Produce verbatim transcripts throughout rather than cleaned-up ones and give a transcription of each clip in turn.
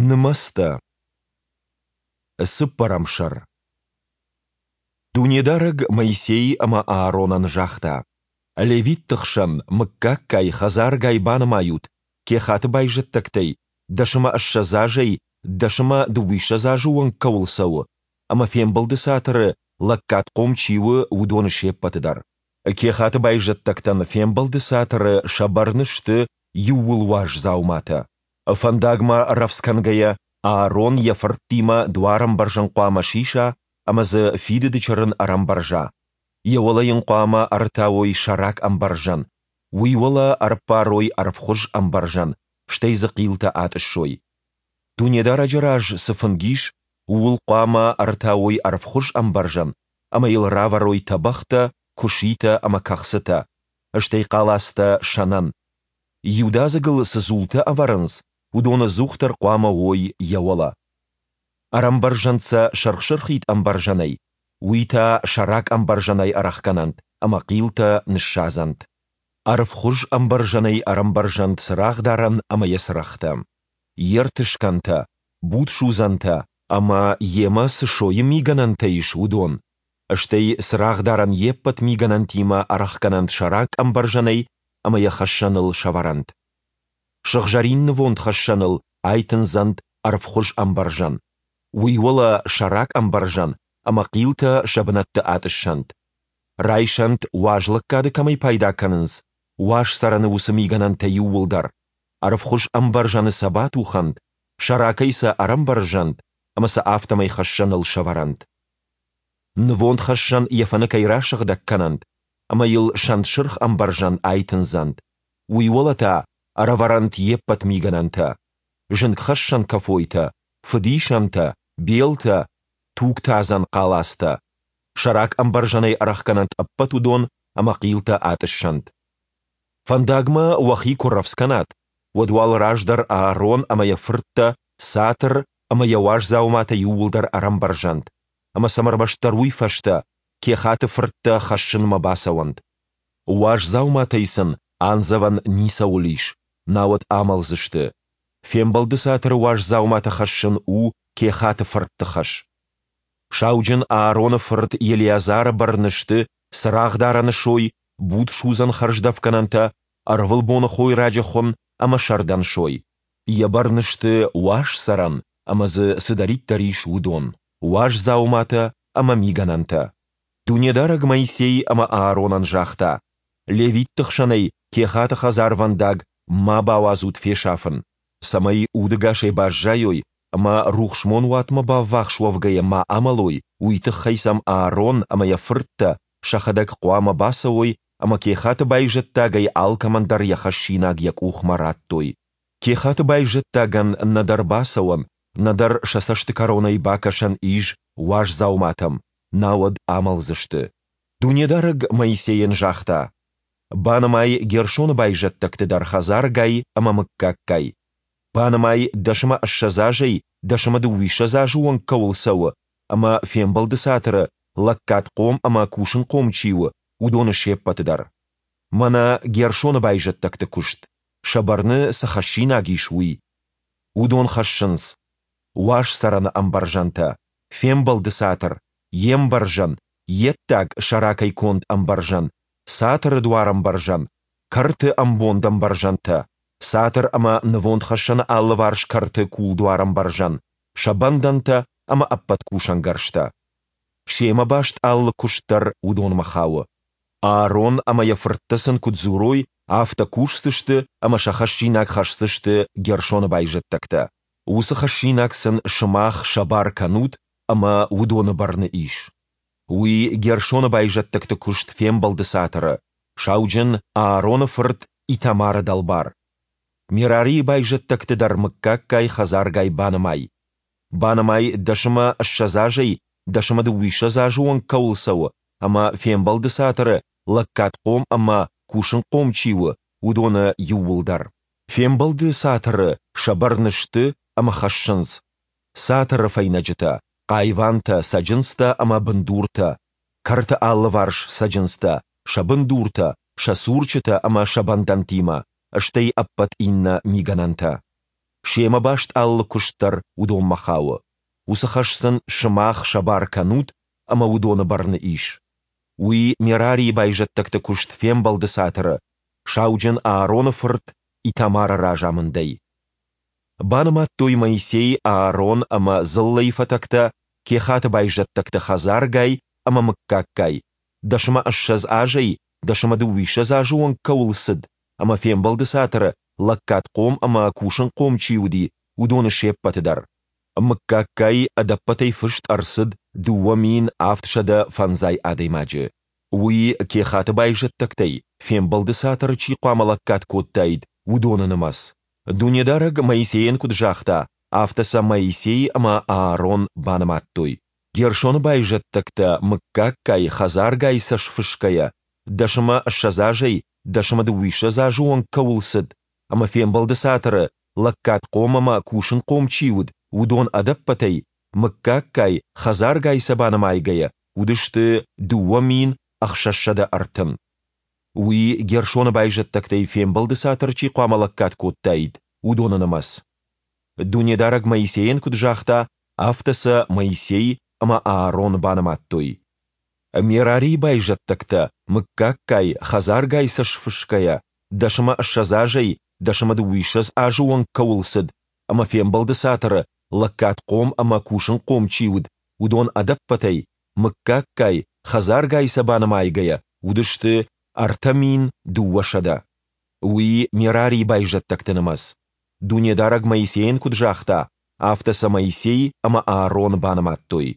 Нымӕцтӕ. Цыппӕрӕм сӕр. Дунедарӕг Моисей ӕмӕ Ааронӕн загъта: Левитты хсӕн мыггаггай, хӕдзаргай банымайут Кехаты байзӕддӕгтӕй, дӕс ӕмӕ ссӕдз азӕй дӕс ӕмӕ дыууиссӕдз азы онг кӕуыл цӕуы ӕмӕ Фембӕлды Цатыры лӕггадхъом чи у, уыдоны се ппӕты дӕр. Кехаты байзӕддӕгтӕн Фембӕлды Цатыры сӕ бӕрны сты иууылуаз дзауматӕ. Фӕндагмӕ рӕвдз кӕнгӕйӕ, Аарон йӕ фырттимӕ дуарӕмбӕрзӕн хъуамӕ сиса ӕмӕ дзы Фидыды Чырын ӕрӕмбӕрза. Йӕ уӕлӕ йын хъуамӕ ӕрытауой сӕрак ӕмбӕрзӕн, уый уӕлӕ ӕрӕппарой ӕрвхуыз ӕмбӕрзӕн, стӕй дзы хъилтӕ атъыссой. Дунедарӕджы раз цы фынг ис, ууыл хъуамӕ ӕрытауой ӕрвхуыз ӕмбӕрзӕн ӕмӕ йыл равӕрой тӕбӕгътӕ, куыситӕ ӕмӕ кӕхцытӕ, стӕй хъалацтӕ сӕнӕн. Иудадзыг ыл цы дзултӕ ӕвӕрынц, уыдон ӕдзухдӕр хъуамӕ уой йӕ уӕлӕ. Ӕрӕмбӕрзӕнт сӕ сырх-сырхид ӕмбӕрзӕнӕй, уый та сӕрак ӕмбӕрзӕнӕй ӕрӕхгӕнӕнт ӕмӕ хъилтӕ ныссадзӕнт. Ӕрвхуыз ӕмбӕрзӕнӕй ӕрӕмбӕрзӕнт цырагъдарӕн ӕмӕ йӕ цырӕгътӕ, йе ртыскӕнтӕ, будсудзӕнтӕ ӕмӕ, йемӕ цы сойы мигӕнӕнтӕ ис, уыдон, стӕй цырагъдарӕн йе ппӕт мигӕнӕнтимӕ ӕрӕхгӕнӕнт сӕрак ӕмбӕрзӕнӕй ӕмӕ йӕ хӕссӕныл сӕвӕрӕнт. Сыгъзӕрин нывондхӕссӕныл айтындзӕнт ӕрвхуыз ӕмбӕрзӕн, уый уӕлӕ сӕрак ӕмбӕрзӕн ӕмӕ хъилтӕ сӕ бынӕтты атъыссӕнт. Райсӕнт, уазлӕггады кӕмӕй пайда кӕнынц, уаз цӕрӕны уыцы мигӕнӕнтӕ иууылдӕр, ӕрвхуыз ӕмбӕрзӕны сӕ батухӕнт, сӕракӕй сӕ ӕрӕмбӕрзӕнт ӕмӕ сӕ афтӕмӕй хӕссӕныл сӕвӕрӕнт. Нывондхӕссӕн йӕ фӕныкӕй расыгъдӕг кӕнӕнт ӕмӕ йыл сӕнтсырх ӕмбӕрзӕн айтындзӕнт, уый уӕлӕ та ӕрӕвӕрӕнт йе ппӕт мигӕнӕнтӕ: зынгхӕссӕн кӕфойтӕ, фыдисӕнтӕ, белтӕ, тугтадзӕн хъалацтӕ. Сӕрак ӕмбӕрзӕнӕй ӕрӕхгӕнӕнт ӕппӕт уыдон ӕмӕ хъилтӕ атъыссӕнт. Фӕндагмӕ уӕхи куы рӕвдз кӕнат, уӕд уал раздӕр Аарон ӕмӕ йӕ фырттӕ цатыр ӕмӕ йӕ уаз дзауматӕ иууылдӕр ӕрӕмбӕрзӕнт, ӕмӕ сӕм ӕрмӕстдӕр уый фӕстӕ Кехаты фырттӕ хӕссынмӕ бацӕуӕнт. Уаз дзауматӕй сын андзӕвӕн ницӕуыл ис, науӕд амӕлдзысты. Фембӕлды цатыры уаз дзауматӕ хӕссын у Кехаты фыртты хӕс. Сауджын Аароны фырт Елеазары бӕрны сты цырагъдарӕны сой, будсудзӕн хӕрздӕфгӕнӕнтӕ, ӕрвылбоны хойраджы хуын ӕмӕ сӕрдӕн сой. Йӕ бӕрны сты уаз цӕрӕн ӕмӕ дзы цыдӕриддӕр ис, уыдон, уаз дзауматӕ ӕмӕ мигӕнӕнтӕ. Дунедарӕг Моисей ӕмӕ Ааронӕн загъта: Левитты хсӕнӕй Кехаты хӕдзарвӕндаг ма бауадзут фесафын, цӕмӕй удӕгасӕй баззайой ӕмӕ рухсмонуатмӕ баввахс уӕвгӕйӕ ма амӕлой, уый тыххӕй сӕм Аарон ӕмӕ йӕ фырттӕ сӕхӕдӕг хъуамӕ бацӕуой ӕмӕ Кехаты байзӕддагӕй алкӕмӕн дӕр йӕ хӕссинаг йӕ къухмӕ раттой. Кехаты байзӕддагӕн нӕдӕр бацӕуӕн, нӕдӕр сӕ цӕсты кӕронӕй бакӕсӕн ис уаз дзауматӕм, науӕд амӕлдзысты. Дунедарӕг Моисейӕн загъта: Банымай Герсоны байзӕддӕгты дӕр хӕдзаргай ӕмӕ мыггаггай. Банымай, дӕс ӕмӕ ссӕдз азӕй дӕс ӕмӕ дыууиссӕдз азы онг кӕуыл цӕуы ӕмӕ Фембӕлды Цатыры лӕггадхъом ӕмӕ кусынхъом чи у, уыдоны се ппӕты дӕр. Мӕнӕ Герсоны байзӕддӕгты куыст, сӕ бӕрны цы хӕссинаг ис, уый. Уыдон хӕссынц: уаз цӕрӕны ӕмбӕрзӕнтӕ, Фембӕлды Цатыр, йе мбӕрзӕн, йе ддаг сӕракӕй конд ӕмбӕрзӕн, цатыры дуарӕмбӕрзӕн, кӕрты ӕмбондӕмбӕрзӕнтӕ, цатыр ӕмӕ нывондхӕссӕны алыварс кӕрты кулдуарӕмбӕрзӕн, сӕ бӕндӕнтӕ ӕмӕ ӕппӕт кусӕнгӕрзтӕ. Семӕ баст алы куыст дӕр уыдонмӕ хауы. Аарон ӕмӕ йӕ фырттӕ сын куыд дзурой, афтӕ кусдзысты ӕмӕ сӕ хӕссинаг хӕсдзысты Герсоны байзӕддӕгтӕ. Уыцы хӕссинаг сын сымах сӕ бар кӕнут ӕмӕ уыдоны бӕрны ис. Уый Герсоны байзӕддӕгты куыст Фембӕлды Цатыры, сауджын Аароны фырт Итамары дӕлбар. Мерарийы байзӕддӕгты дӕр мыггаггай, хӕдзаргай банымай. Банымай, дӕс ӕмӕ ссӕдз азӕй дӕс ӕмӕ дыууиссӕдз азы онг кӕуыл цӕуы ӕмӕ Фембӕлды Цатыры лӕггадхъом ӕмӕ кусынхъом чи у, уыдоны иууылдӕр. Фембӕлды Цатыры сӕ бӕрны сты ӕмӕ хӕссынц: цатыры фӕйнӕджытӕ, хъайвантӕ, цӕджындзтӕ ӕмӕ бындуртӕ, кӕрты алыварс цӕджындзтӕ, сӕ бындуртӕ, сӕ цурчытӕ ӕмӕ сӕ бӕндӕнтимӕ, стӕй ӕппӕт иннӕ мигӕнӕнтӕ. Семӕ баст алы куыст дӕр уыдонмӕ хауы. Уыцы хӕс сын сымах сӕ бар кӕнут, ӕмӕ уыдоны бӕрны ис. Уый Мерарийы байзӕддӕгты куыст Фембӕлды Цатыры, сауджын Аароны фырт Итамары разамындӕй. Банымадтой Моисей, Аарон ӕмӕ дзыллӕйы фӕтӕгтӕ Кехаты байзӕддӕгты хӕдзаргай ӕмӕ мыггаггай, дӕс ӕмӕ ссӕдз азӕй дӕс ӕмӕ дыууиссӕдз азы онг кӕуыл цыд ӕмӕ Фембӕлды Цатыры лӕггадхъом ӕмӕ кусынхъом чи уыди, уыдоны се ппӕты дӕр. Мыггаггай ӕдӕппӕтӕй фыст ӕрцыд дыууӕ мин авдсӕдӕ фӕндзай адӕймаджы. Уый Кехаты байзӕддӕгтӕй, Фембӕлды Цатыры чи хъуамӕ лӕггад кодтаид, уыдоны нымӕц. Дунедарӕг Моисейӕн куыд загъта, афтӕ сӕ Моисей ӕмӕ Аарон банымадтой. Гершоны байзӕддӕгтӕ, мыггаггай, хӕдзаргай сӕ сфысгӕйӕ, дӕс ӕмӕ ссӕдз азӕй дӕс ӕмӕ дыууиссӕдз азы онг кӕуыл цыд ӕмӕ Фембӕлды Цатыры лӕггадхъом ӕмӕ кусынхъом чи уыд, уыдон ӕдӕппӕтӕй, мыггаггай, хӕдзаргай сӕ банымайгӕйӕ, уыдысты дыууӕ мин ӕхсӕзсӕдӕ ӕртын. Уый Гершоны байзӕддӕгтӕй Фембӕлды Цатыры чи хъуамӕ лӕггад кодтаид, уыдоны нымӕц. Дунедарӕг Моисейӕн куыд загъта, афтӕ сӕ Моисей ӕмӕ Аарон банымадтой. Мерарийы байзӕддӕгтӕ, мыггаггай, хӕдзаргай сӕ сфысгӕйӕ, дӕс ӕмӕ ссӕдз азӕй дӕс ӕмӕ дыууиссӕдз азы онг кӕуыл цыд ӕмӕ Фембӕлды Цатыры лӕггадхъом ӕмӕ кусынхъом чи уыд, уыдон ӕдӕппӕтӕй, мыггаггай, хӕдзаргай сӕ банымайгӕйӕ, уыдысты ӕртӕ мин дыууӕсӕдӕ. Уый Мерарийы байзӕддӕгты нымӕц. Дунедарӕг Моисейӕн куыд загъта, афтӕ сӕ Моисей ӕмӕ Аарон банымадтой.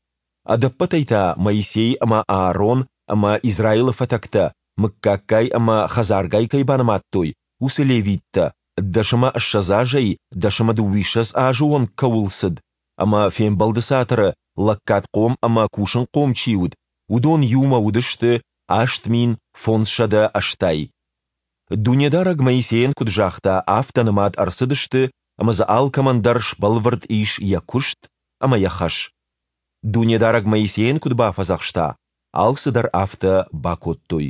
Ӕдӕппӕтӕй та Моисей ӕмӕ Аарон ӕмӕ Израилы фӕтӕгтӕ, мыггаггай ӕмӕ хӕдзаргай кӕй банымадтой, уыцы левиттӕ, дӕс ӕмӕ ссӕдз азӕй дӕс ӕмӕ дыууиссӕдз азы онг кӕуыл цыд ӕмӕ Фембӕлды Цатыры лӕггадхъом ӕмӕ кусынхъом чи уыд, уыдон иумӕ уыдысты аст мин фондзсӕдӕ ӕстай. Дунедарӕг Моисейӕн куыд загъта, афтӕ нымад ӕрцыдысты ӕмӕ дзы алкӕмӕн дӕр сбӕлвырд ис йӕ куыст ӕмӕ йӕ хӕс. Дунедарӕг Моисейӕн куыд бафӕдзӕхста, алцыдӕр афтӕ бакодтой.